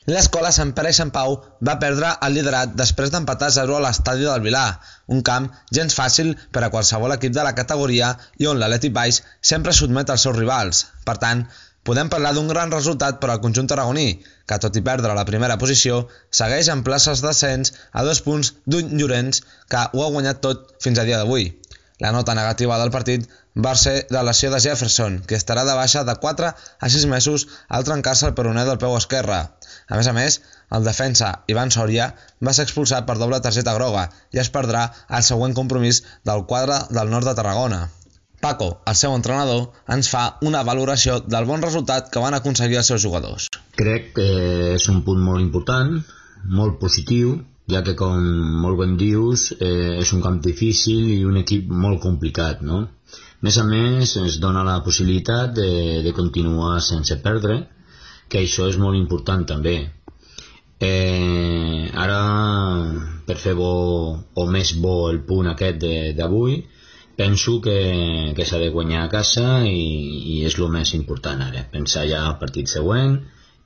L'escola Sant Pere i Sant Pau va perdre el liderat després d'empatar 0 a l'estadi del Vilar, un camp gens fàcil per a qualsevol equip de la categoria i on l'Atlètic Baix sempre sotmet els seus rivals. Per tant, podem parlar d'un gran resultat per al conjunt tarragoní, que tot i perdre la primera posició, segueix en places d'ascens a 2 punts d'un Llorenç que ho ha guanyat tot fins a dia d'avui. La nota negativa del partit va ser la lesió de Jefferson, que estarà de baixa de 4 a 6 mesos al trencar-se el peroné del peu esquerre. A més, el defensa Ivan Soria va ser expulsat per doble targeta groga i es perdrà el següent compromís del quadre del nord de Tarragona. Paco, el seu entrenador, ens fa una valoració del bon resultat que van aconseguir els seus jugadors. Crec que és un punt molt important, molt positiu, ja que, com molt ben dius, és un camp difícil i un equip molt complicat, no? A més, ens dona la possibilitat de continuar sense perdre, que això és molt important també. Ara, per fer bo o més bo el punt aquest d'avui, penso que s'ha de guanyar a casa i és el més important ara, pensar ja al partit següent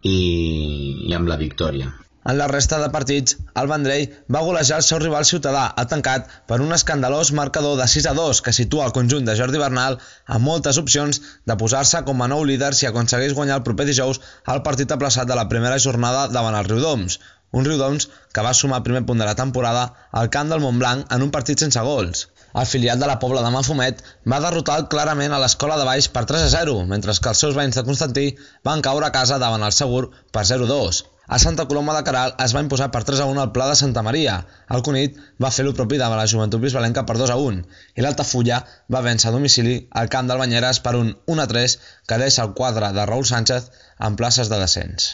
i amb la victòria. En la resta de partits, el Vendrell va golejar el seu rival Ciutadà, tancat per un escandalós marcador de 6-2 que situa el conjunt de Jordi Bernal amb moltes opcions de posar-se com a nou líder si aconsegueix guanyar el proper dijous el partit aplaçat de la primera jornada davant el Riudoms. Un Riudoms que va sumar el primer punt de la temporada al camp del Montblanc en un partit sense gols. El filial de la Pobla de Mafumet va derrotar clarament a l'Escola de Baix per 3-0, mentre que els seus veïns de Constantí van caure a casa davant el Segur per 0-2. A Santa Coloma de Queralt es va imposar per 3-1 al Pla de Santa Maria. El Cunit va fer-lo propi davant la Joventut Bisbalenca per 2-1 i l'Altafulla va vèncer a domicili al camp del Banyeres per un 1-3 que deixa el quadre de Raúl Sánchez en places de descens.